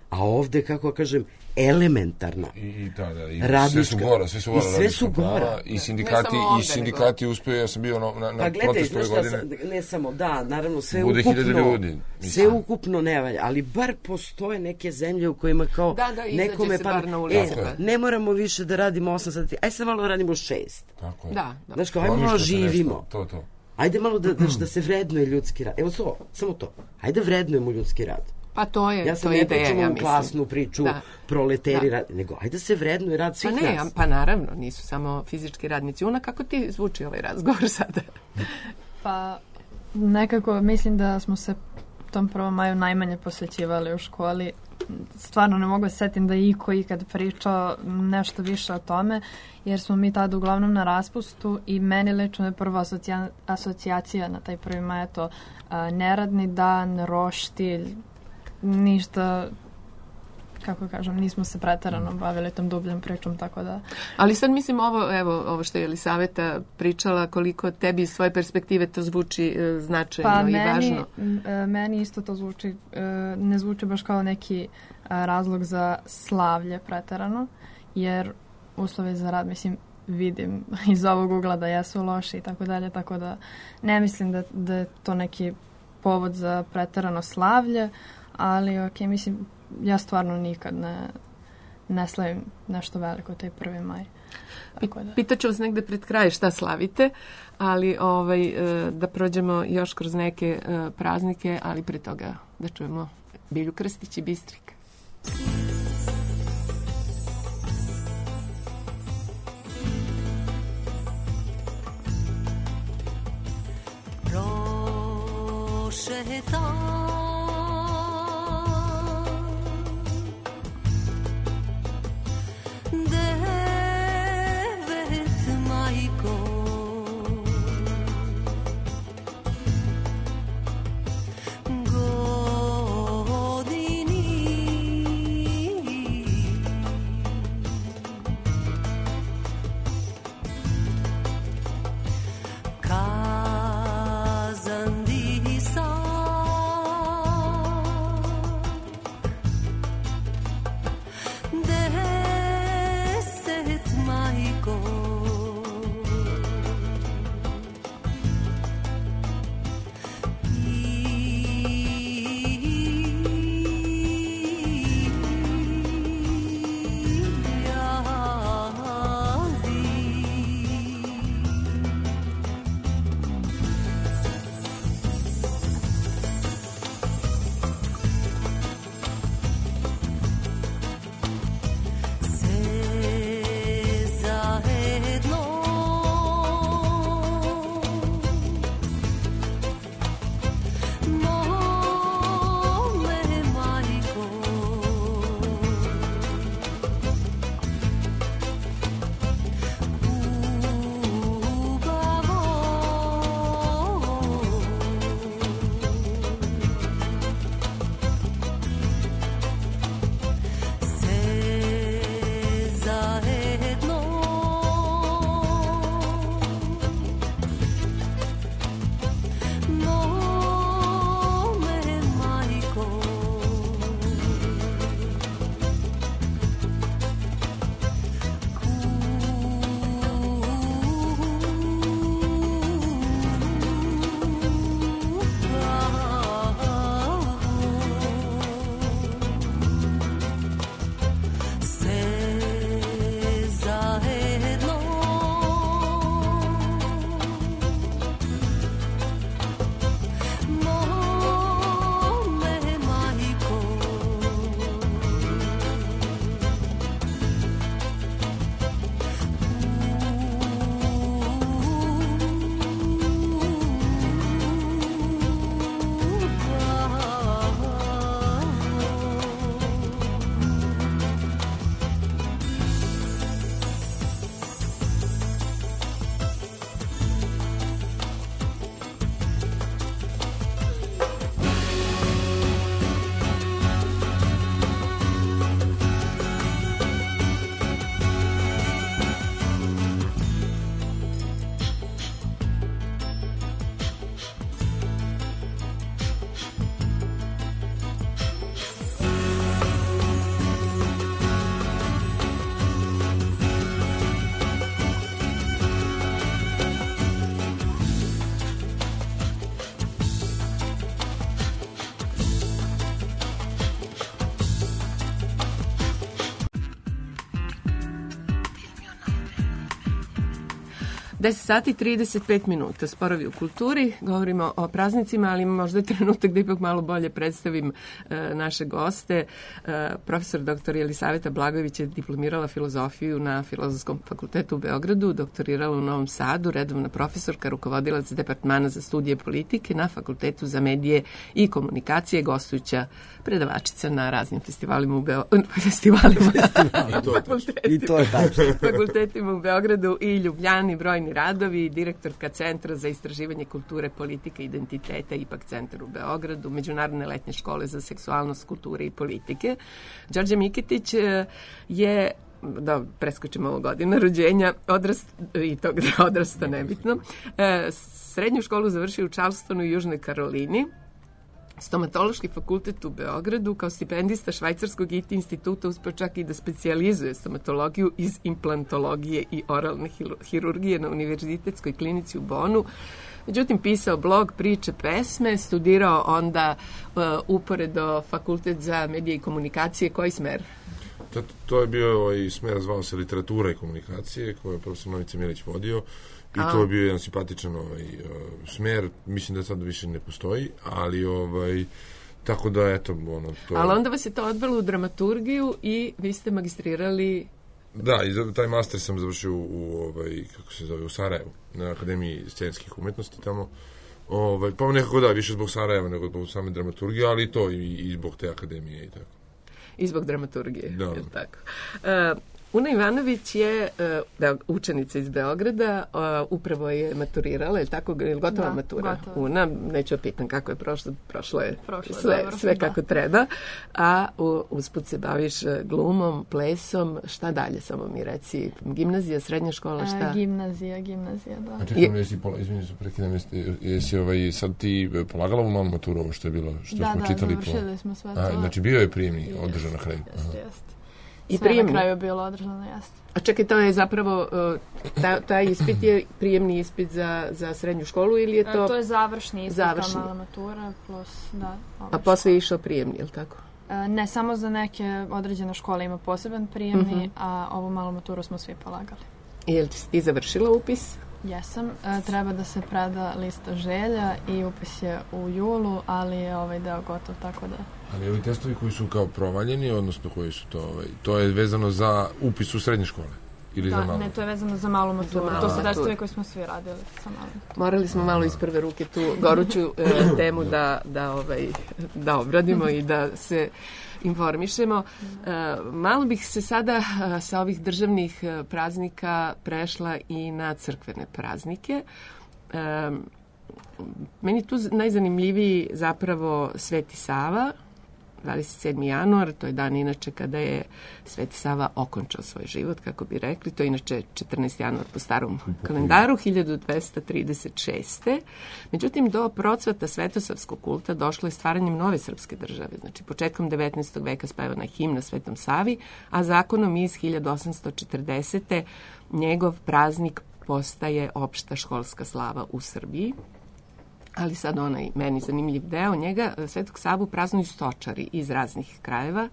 A ovde, kako ja kažem, elementarna I, i, da, da, i radnička. Sve su gora, sve su gora. I sve su gora. I sindikati, i sindikati uspiju, ja sam bio na, na, na pa gledaj, protestu ove godine. Sam, ne samo, da, naravno, sve bude ukupno, ljudi, sve ukupno ne valja, ali bar postoje neke zemlje u kojima kao da, da, nekome pa, e, ne moramo više da radimo osam sati, aj sad malo radimo šest. Tako je. Da, da. Znaš kao, ajmo malo živimo. Nešto, to, to. Ajde malo da, da, da se vrednuje ljudski rad. Evo to, samo to. Ajde vrednujemo ljudski rad. Pa to je, ja sam to ne ideja, pričam ja u mislim. klasnu priču, da. proleteri da. rad, nego ajde se vrednuje rad svih pa ne, nas. Pa naravno, nisu samo fizički radnici. Una, kako ti zvuči ovaj razgovor sada? Pa nekako mislim da smo se tom prvom maju najmanje posvećivali u školi. Stvarno ne mogu se setim da je iko ikad pričao nešto više o tome, jer smo mi tada uglavnom na raspustu i meni lično je prva asocija, asocijacija na taj prvi maj to a, neradni dan, roštilj, ništa, kako kažem, nismo se preterano bavili tom dubljom pričom, tako da... Ali sad mislim ovo, evo, ovo što je Jelisaveta pričala, koliko tebi iz svoje perspektive to zvuči e, značajno pa i meni, važno. Pa meni isto to zvuči, e, ne zvuči baš kao neki a, razlog za slavlje preterano, jer uslove za rad, mislim, vidim iz ovog ugla da jesu loši i tako dalje, tako da ne mislim da, da je to neki povod za preterano slavlje, ali ok, mislim, ja stvarno nikad ne, ne slavim nešto veliko taj prvi maj. Tako da. Pitaću vas negde pred kraj šta slavite, ali ovaj, da prođemo još kroz neke praznike, ali pre toga da čujemo Bilju Krstić i Bistrik. Prošeta deset sati trideset pet minuta, Sporovi u kulturi, govorimo o praznicima, ali možda je trenutak da ipak malo bolje predstavim e, naše goste. E, profesor doktor Jelisaveta Blagojević je diplomirala filozofiju na Filozofskom fakultetu u Beogradu, doktorirala u Novom Sadu, redovna profesorka, rukovodilac departmana za studije politike na Fakultetu za medije i komunikacije, gostujuća predavačica na raznim festivalima u Beogradu, festivalima, I to je tačno. fakultetima u Beogradu i Ljubljani, brojni radovi, direktorka Centra za istraživanje kulture, politike i identiteta, ipak centar u Beogradu, Međunarodne letnje škole za seksualnost, kulture i politike. Đorđe Miketić je, da preskočimo ovo godina rođenja, odrast, i tog da odrasta nebitno, srednju školu završio u Charlestonu i Južnoj Karolini, Stomatološki fakultet u Beogradu, kao stipendista Švajcarskog I T instituta uspeo čak i da specijalizuje stomatologiju iz implantologije i oralne hirurgije na Univerzitetskoj klinici u Bonu. Međutim, pisao blog, priče, pesme, studirao onda uh, uporedo Fakultet za medije i komunikacije. Koji smer? To, to je bio ovaj smer, zvao se literatura i komunikacije, koju je profesor Novica Milić vodio. I A. to je bio jedan simpatičan ovaj, uh, smer. Mislim da sad više ne postoji, ali ovaj... Tako da, eto, ono, to... Ali onda vas je to odvelo u dramaturgiju i vi ste magistrirali... Da, i taj master sam završio u, u ovaj, kako se zove, u Sarajevu, na Akademiji scenskih umetnosti tamo. Ovaj, pa nekako da, više zbog Sarajeva nego zbog same dramaturgije, ali i to i, i zbog te akademije i tako. I zbog dramaturgije, da. Je tako? Uh, Una Ivanović je uh, učenica iz Beograda, uh, upravo je maturirala, je tako, je gotova da, matura? Gotova. Una, neću pitan kako je prošlo, prošlo je prošlo sve, dobro, sve kako da. treba, a u, usput se baviš glumom, plesom, šta dalje, samo mi reci, gimnazija, srednja škola, šta? A, gimnazija, gimnazija, da. A čekaj, jesi, izvinite se, prekidam, jesi, jesi ovaj, sad ti polagala u malu maturu, ovo što je bilo, što da, smo da, čitali? Da, da, završili smo sve to. A, znači bio je prijemni, održan na kraju. Jeste, jeste. I sve prijemni. Na kraju je bilo održano, jeste. A čekaj, to je zapravo, ta, taj ispit je prijemni ispit za, za srednju školu ili je to... To je završni ispit, završni. Mala matura plus, da. A posle je išao prijemni, je li tako? Ne, samo za neke određene škole ima poseban prijemni, uh-huh. a ovu malu maturu smo svi polagali. I je li ti završila upis? Jesam. E, treba da se preda lista želja i upis je u julu, ali je ovaj deo gotov, tako da... Ali ovi testovi koji su kao provaljeni, odnosno koji su to, ovaj, to je vezano za upis u srednje škole? Ili da, za malu? Ne, to je vezano za malu maturu. To su testovi koji smo svi radili sa malom. Morali smo malo iz prve ruke tu goruću e, temu da, da, ovaj, da obradimo i da se informišemo. E, malo bih se sada a, sa ovih državnih praznika prešla i na crkvene praznike. E, meni tu najzanimljiviji zapravo Sveti Sava, dvadeset sedmi januar, to je dan inače kada je Sveti Sava okončao svoj život, kako bi rekli. To je inače četrnaesti januar po starom kalendaru, hiljadu dvesta trideset šeste. Međutim, do procvata svetosavskog kulta došlo je stvaranjem nove srpske države. Znači, početkom devetnaestog veka spevana je himna Svetom Savi, a zakonom iz hiljadu osamsto četrdesete njegov praznik postaje opšta školska slava u Srbiji. Ali sad onaj meni zanimljiv deo njega, Svetog Savu praznuju stočari iz raznih krajeva,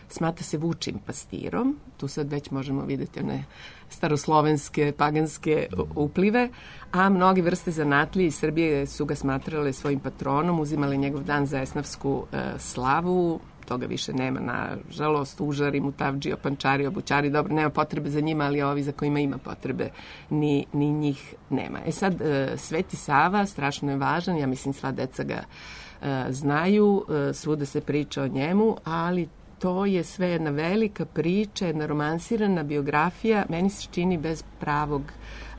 smatra se vučim pastirom, tu sad već možemo vidjeti one staroslovenske, paganske uplive, a mnoge vrste zanatlije iz Srbije su ga smatrale svojim patronom, uzimale njegov dan za esnafsku e, slavu, toga više nema, nažalost, užari, mutavdžije, pančari, obućari, dobro, nema potrebe za njima, ali ovi za kojima ima potrebe, ni, ni njih nema. E sad, e, Sveti Sava strašno je važan, ja mislim sva deca ga e, znaju, e, svuda se priča o njemu, ali to je sve jedna velika priča, jedna romansirana biografija, meni se čini bez pravog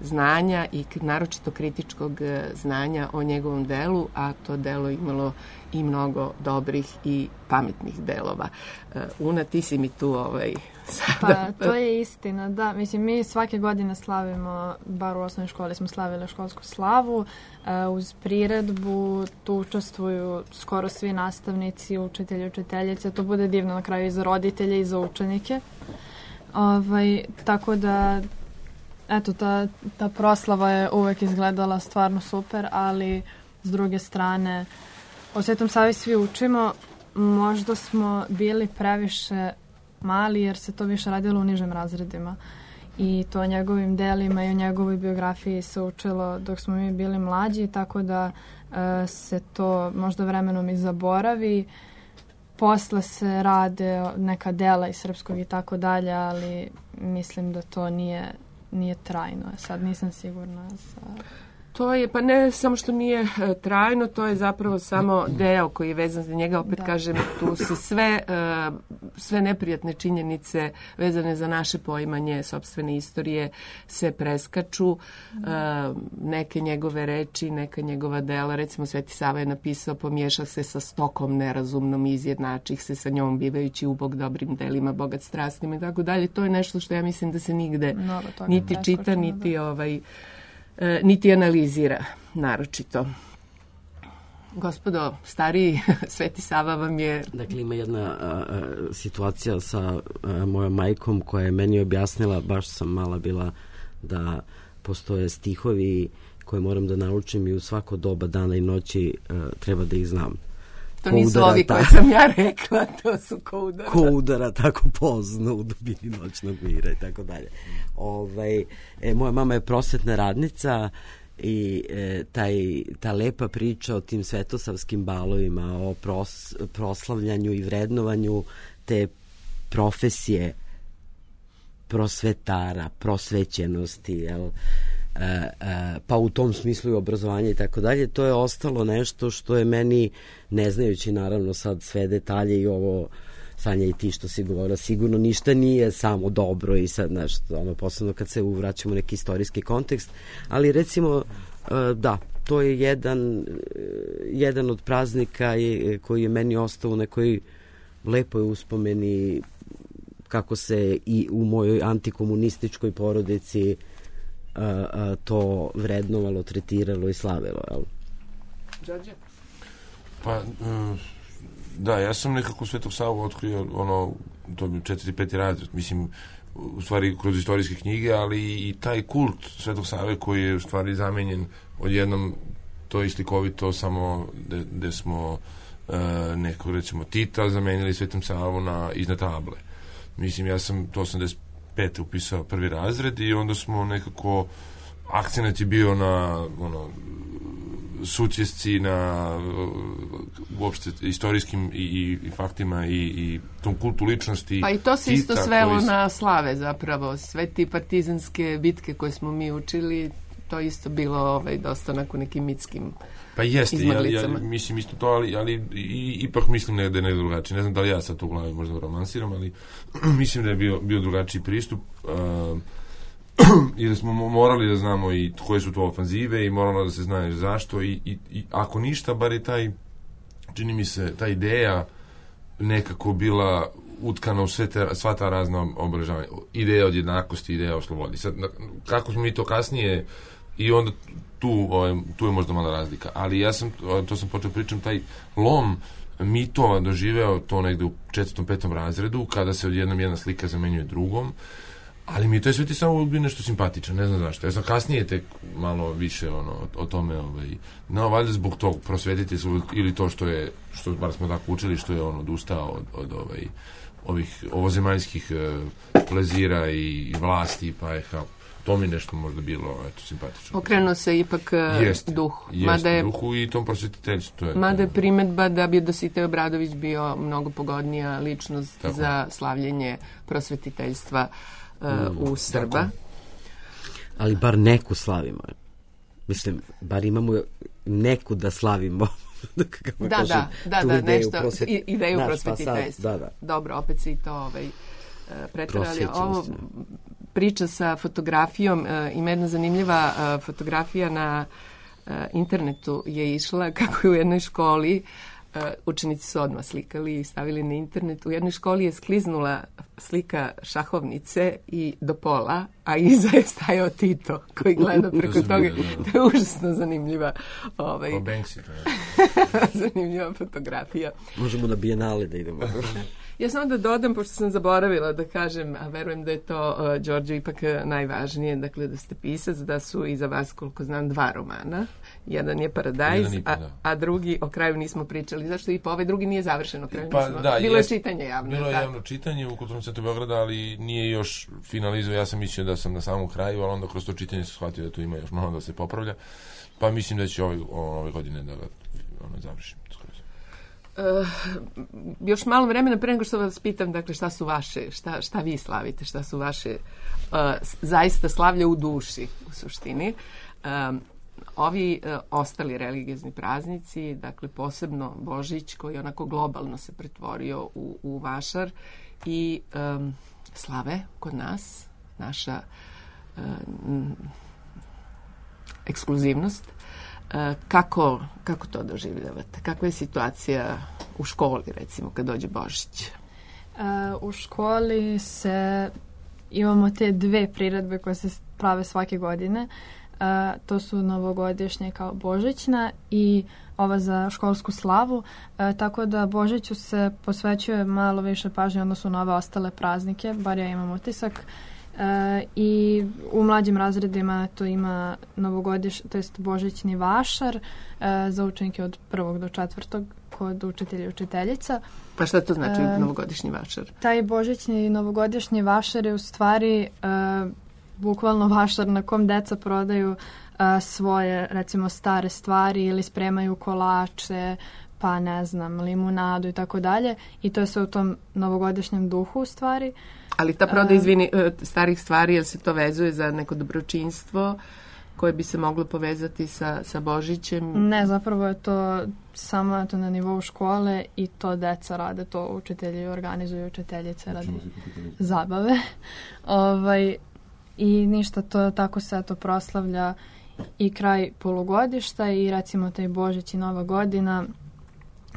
znanja i naročito kritičkog znanja o njegovom delu, a to delo imalo i mnogo dobrih i pametnih delova. Una, ti si mi tu ovaj, sada... Pa, to je istina, da. Mislim, mi svake godine slavimo, bar u osnovnoj školi smo slavili školsku slavu, uz priredbu tu učestvuju skoro svi nastavnici, učitelji, učiteljice, to bude divno na kraju i za roditelje i za učenike. Ovaj, tako da, eto, ta, ta proslava je uvek izgledala stvarno super, ali s druge strane, o Svetom Savi svi učimo, možda smo bili previše mali jer se to više radilo u nižim razredima i to o njegovim delima i o njegovoj biografiji se učilo dok smo mi bili mlađi, tako da e, se to možda vremenom i zaboravi. Posle se rade neka dela iz srpskog i tako dalje, ali mislim da to nije, nije trajno. Sad nisam sigurna za... To je, pa ne samo što nije e, trajno, to je zapravo samo deo koji je vezan za njega. Opet da. kažem, tu se sve, e, sve neprijatne činjenice vezane za naše poimanje sopstvene istorije se preskaču. E, neke njegove reči, neka njegova dela, recimo Sveti Sava je napisao, pomiješa se sa stokom nerazumnom, izjednačih se sa njom, bivajući ubog dobrim delima, bogat strastima i tako dalje. To je nešto što ja mislim da se nigde niti čita, niti da. ovaj... E, niti analizira naročito. Gospodo, stariji, Sveti Sava vam je... Dakle, ima jedna a, a, situacija sa a, mojom majkom koja je meni objasnila, baš sam mala bila, da postoje stihovi koje moram da naučim i u svako doba dana i noći a, treba da ih znam. To nisu ovi koje sam ja rekla, to su ko udara. Ko udara tako pozno u dubini noćnog mira i tako dalje. Ovaj, e, moja mama je prosvetna radnica i e, taj, ta lepa priča o tim svetosavskim balovima, o pros, proslavljanju i vrednovanju te profesije prosvetara, prosvećenosti, jel? E, e, pa u tom smislu i obrazovanje i tako dalje, to je ostalo nešto što je meni, ne znajući naravno sad sve detalje i ovo, Sanja i ti što si govorila, sigurno ništa nije samo dobro i sad nešto, ono, posebno kad se uvraćamo u neki istorijski kontekst, ali recimo, e, da, to je jedan, jedan od praznika je, koji je meni ostao u nekoj lepoj uspomeni kako se i u mojoj antikomunističkoj porodici a, a, to vrednovalo, tretiralo i slavilo. Jel? Đorđe? Pa, um, da, ja sam nekako Svetog Savu otkrio, ono, to bi četvrti, peti razred, mislim, u stvari kroz istorijske knjige, ali i taj kult Svetog Save koji je u stvari zamenjen odjednom, to je slikovito samo gde smo uh, neko, recimo, Tita zamenili Svetom Savu na, iznad table. Mislim, ja sam to osamdeset pete upisao prvi razred i onda smo nekako, akcenat je bio na ono, sućesci, na uopšte istorijskim i, i, i faktima i, i tom kultu ličnosti. Pa i to se isto svelo koji... na slave zapravo. Sve ti partizanske bitke koje smo mi učili, to isto bilo ovaj, dosta onako nekim mitskim pa jeste, ja, ja mislim isto to, ali, ali i, ipak mislim da je negde drugačije. Ne znam da li ja sad to u glavi možda romansiram, ali mislim da je bio, bio drugačiji pristup uh, i da smo morali da znamo i koje su to ofanzive i moralo da se zna zašto i, i, i ako ništa, bar je taj, čini mi se, ta ideja nekako bila utkana u sve te, sva ta razna obeležavanja. Ideja od jednakosti, ideja o slobodi. Sad, kako smo mi to kasnije i onda tu, tu je možda mala razlika. Ali ja sam, to sam počeo pričam, taj lom mitova doživeo to negde u četvrtom, petom razredu, kada se odjednom jedna slika zamenjuje drugom, ali mi to je sve ti samo bio nešto simpatično, ne znam zašto. Ja sam kasnije tek malo više ono, o tome, ovaj, no, valjda zbog tog prosvetiti su, ili to što je, što bar smo tako učili, što je on odustao od, od ovaj, ovih ovozemaljskih uh, plezira i, i vlasti, pa je kao, to mi nešto možda bilo, eto, simpatično. Okrenuo se ipak jest, duhu. Jest, mada je, duhu i tom prosvetiteljstvu. To je, mada je primetba da bi Dositej Obradović bio mnogo pogodnija ličnost tako za slavljenje prosvetiteljstva uh, mm, u Srba. Tako. Ali bar neku slavimo. Mislim, bar imamo neku da slavimo. da, da, da, da, da, nešto, prosvet... ideju prosvetiteljstva. Da, da. Dobro, opet se i to ovaj, pretrali. Ovo priča sa fotografijom, uh, ima jedna zanimljiva uh, fotografija na uh, internetu je išla kako je u jednoj školi uh, učenici su odmah slikali i stavili na internet. U jednoj školi je skliznula slika šahovnice i do pola, a iza je stajao Tito koji gleda preko toga. To je užasno zanimljiva ovaj, zanimljiva fotografija. Možemo na Bijenale da idemo. Ja samo da dodam, pošto sam zaboravila da kažem, a verujem da je to, uh, Đorđe, ipak najvažnije, dakle da ste pisac, da su iza vas, koliko znam, dva romana. Jedan je Paradajz, a, a drugi o kraju nismo pričali. Zašto i po ovaj drugi nije završen o kraju? Pa, nismo... da, bilo je jest, čitanje javno. Bilo je tako. javno čitanje u Kulturnom centru Beograda, ali nije još finalizao. Ja sam mislio da sam na samom kraju, ali onda kroz to čitanje sam shvatio da tu ima još malo da se popravlja. Pa mislim da će ove, ove godine da ga ono, završim. Uh, još malo vremena pre nego što vas pitam, dakle, šta su vaše, šta, šta vi slavite, šta su vaše uh, zaista slavlja u duši, u suštini. Um, ovi uh, ostali religiozni praznici, dakle, posebno Božić, koji onako globalno se pretvorio u, u vašar i um, slave kod nas, naša uh, ekskluzivnost. Kako, kako to doživljavate? Kakva je situacija u školi, recimo, kad dođe Božić? U školi se imamo te dve priredbe koje se prave svake godine. To su novogodišnje kao božićna i ova za školsku slavu. Tako da Božiću se posvećuje malo više pažnje odnosu na ove ostale praznike, bar ja imam utisak. Uh, i u mlađim razredima to ima novogodišnji, to jest božićni vašar uh, za učenike od prvog do četvrtog kod učitelja i učiteljica. Pa šta to znači e, novogodišnji vašar? Taj božićni i novogodišnji vašar je u stvari e, bukvalno vašar na kom deca prodaju e, svoje, recimo, stare stvari ili spremaju kolače, pa ne znam, limunadu i tako dalje. I to je sve u tom novogodišnjem duhu u stvari. Ali ta proda, izvini, starih stvari, jel se to vezuje za neko dobročinstvo koje bi se moglo povezati sa, sa Božićem? Ne, zapravo je to samo to na nivou škole i to deca rade, to učitelji organizuju, učiteljice radi zabave. ovaj, I ništa, to tako se to proslavlja i kraj polugodišta i recimo taj Božić i Nova godina.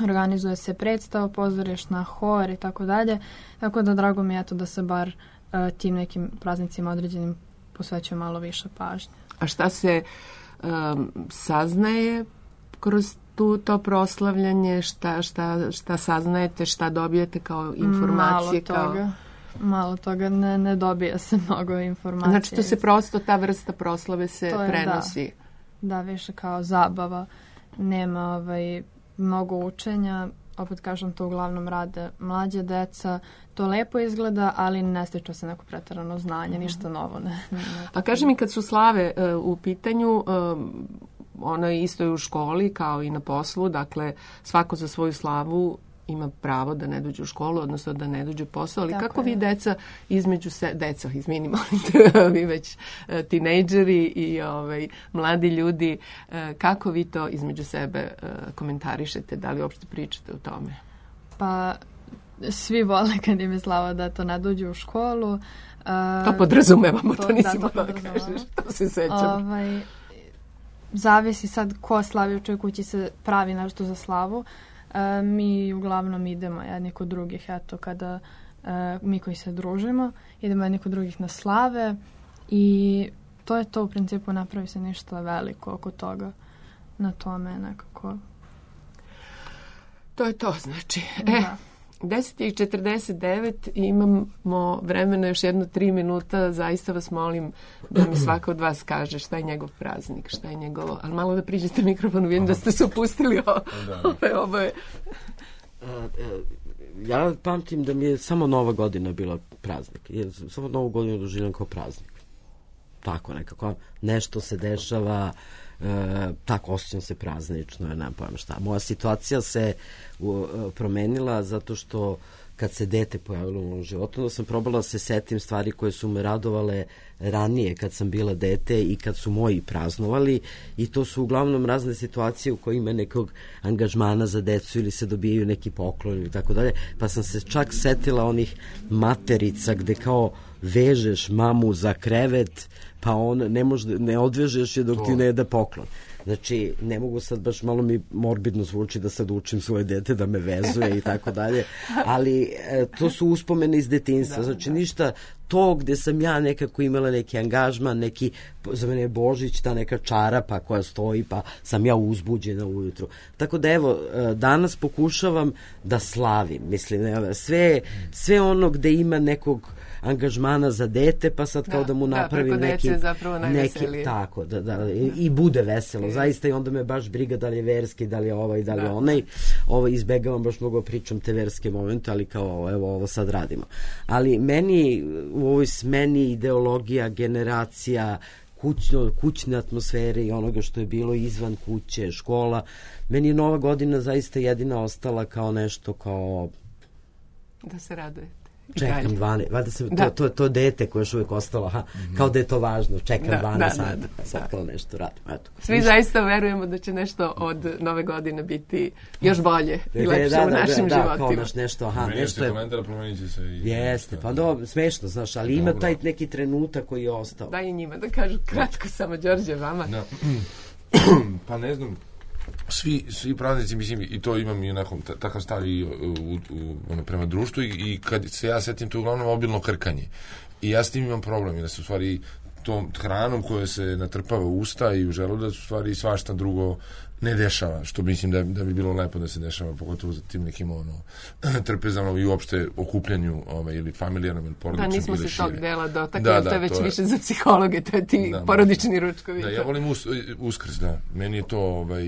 Organizuje se predstava, pozorišna, hor i tako dalje. Tako da drago mi je to da se bar uh, tim nekim praznicima određenim posvećuje malo više pažnje. A šta se um, saznaje kroz tu, to proslavljanje? Šta, šta, šta saznajete, šta dobijete kao informacije? Malo toga. Kao... Malo toga, ne, ne dobija se mnogo informacije. Znači to se prosto, ta vrsta proslave se je, prenosi? Da, da, više kao zabava. Nema ovaj... mnogo učenja, opet kažem, to uglavnom rade mlađe deca, to lepo izgleda, ali ne stiče se neko preterano znanje, ništa novo. Ne, ne, A kaži mi, kad su slave uh, u pitanju, um, ono je isto i u školi kao i na poslu, dakle svako za svoju slavu ima pravo da ne dođe u školu, odnosno da ne dođe u posao, ali tako kako je. Vi deca između se, deca, izmini, molite, vi već uh, tinejdžeri i ovaj, mladi ljudi, uh, kako vi to između sebe uh, komentarišete, da li uopšte pričate o tome? Pa, svi vole kad im je slava da to ne dođe u školu. Uh, to podrazumevamo, to, to nisi da, mogla da kažeš, to se sećam. Ovaj, zavisi sad ko slavi u čoj kući se pravi nešto za slavu. Uh, mi uglavnom idemo jedni kod drugih, eto, kada uh, mi koji se družimo, idemo jedni kod drugih na slave i to je to, u principu napravi se ništa veliko oko toga, na tome nekako. To je to, znači. Da. E, deset i četrdeset devet, imamo vremena još jedno tri minuta, zaista vas molim da mi svaka od vas kaže šta je njegov praznik, šta je njegovo, ali malo da priđete mikrofonu, vidim da ste se opustili ove oboje. Ja pamtim da mi je samo Nova godina bila praznik, jer samo Novu godinu doživljam kao praznik. Tako nekako, nešto se dešava, E, tako osjećam se praznično, ja nemam pojma šta. Moja situacija se u, promenila zato što kad se dete pojavilo u mojom životu, da sam probala da se setim stvari koje su me radovale ranije kad sam bila dete i kad su moji praznovali, i to su uglavnom razne situacije u kojima ima nekog angažmana za decu ili se dobijaju neki poklon ili tako dalje, pa sam se čak setila onih materica gde kao vežeš mamu za krevet, pa on ne, može, ne odvežeš je dok to. Ti ne jede poklon. Znači, ne mogu sad, baš malo mi morbidno zvuči da sad učim svoje dete da me vezuje i tako dalje, ali e, to su uspomene iz detinjstva. Znači, ništa to gde sam ja nekako imala neki angažman, neki, za mene je Božić, ta neka čarapa koja stoji, pa sam ja uzbuđena ujutru. Tako da, evo, danas pokušavam da slavim, mislim, sve, sve ono gde ima nekog angažmana za dete, pa sad kao da, da mu napravim da, neki, neki tako, da, da, i, i bude veselo, okay. Zaista, i onda me baš briga da li je verski, da li je ovaj, da li je da. onaj. Ovo izbegavam baš mnogo pričam te verske momente, ali kao, evo, ovo sad radimo. Ali meni u ovoj smeni ideologija, generacija, kućno, kućne atmosfere i onoga što je bilo izvan kuće, škola, meni je Nova godina zaista jedina ostala kao nešto kao... Da se raduje. Čekam dvanaest, valjda se, to, to, to dete koje još uvijek ostalo, aha, mm-hmm. kao da je to važno, čekam da, dvanaest da, sati, da, sad da. Kao nešto radim. Eto. Svi ništa. Zaista verujemo da će nešto od Nove godine biti još bolje i lepše da, da, u našim da, životima. Da, kao naš nešto, aha, Menjate nešto je... komentar, promenit će se i... Jeste, pa dobro, smešno, znaš, ali dobro. Ima taj neki trenutak koji je ostao. Daj i njima da kažu kratko samo, Đorđe, vama. Da. Pa ne znam, svi, svi praznici, mislim, i to imam i onako takav stav i u, u, u, ono, prema društvu, i, i kad se ja setim, to uglavnom obilno krkanje. I ja s tim imam problem, i da se u stvari tom hranom koja se natrpava u usta i u želudac, u stvari svašta drugo ne dešava, što mislim da, da bi bilo lepo da se dešava, pogotovo za tim nekim ono, trpezama i uopšte okupljanju ovaj, ili familijarnom ili porodičnom. Da, nismo se šire. Tog dela dotakli, da, da, to je već to više je... za psihologe, to je ti da, porodični ručkovi. Da, ja volim us, Uskrs, da. Meni je to ovaj,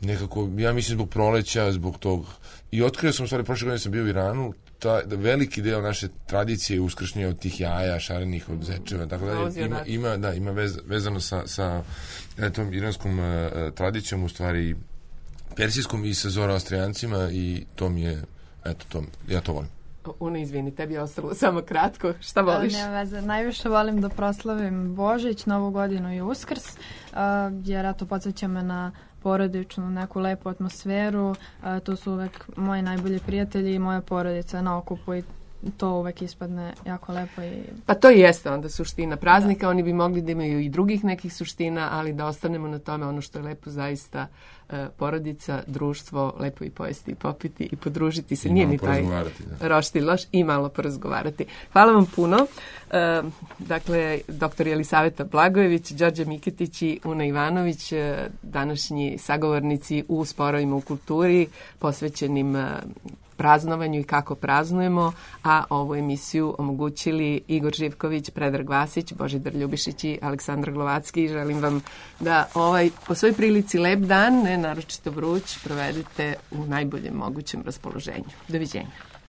nekako, ja mislim zbog proleća, zbog tog, i otkrio sam, u stvari, prošle godine sam bio u Iranu, ta, da veliki deo naše tradicije je uskršnje od tih jaja, šarenih, od zečeva, tako da ima, ima, da, ima vez, vezano sa, sa tom iranskom uh, tradicijom, u stvari persijskom i sa Zoroastrijancima, i to mi je, eto, to, ja to volim. Una, izvini, tebi je ostalo samo kratko. Šta voliš? Nema veze. Najviše volim da proslavim Božić, Novu godinu i Uskrs, uh, jer eto, podsjeća me na porodičnu, neku lepu atmosferu. Uh, to su uvek moji najbolji prijatelji i moja porodica na okupu i to uvek ispadne jako lepo. I... Pa to i jeste onda suština praznika. Da. Oni bi mogli da imaju i drugih nekih suština, ali da ostanemo na tome, ono što je lepo zaista, uh, porodica, društvo, lepo i pojesti i popiti i podružiti se. I nije ni taj roštilj loš, i malo porazgovarati. Hvala vam puno. Uh, dakle, doktor Jelisaveta Blagojević, Đorđe Miketić i Una Ivanović, uh, današnji sagovornici u Sporovima u kulturi, posvećenim uh, praznovanju i kako praznujemo, a ovu emisiju omogućili Igor Živković, Predrag Vasić, Božidar Ljubišić i Aleksandar Glovacki. Želim vam da ovaj, po svoj prilici lep dan, ne naročito vruć, provedete u najboljem mogućem raspoloženju. Doviđenja.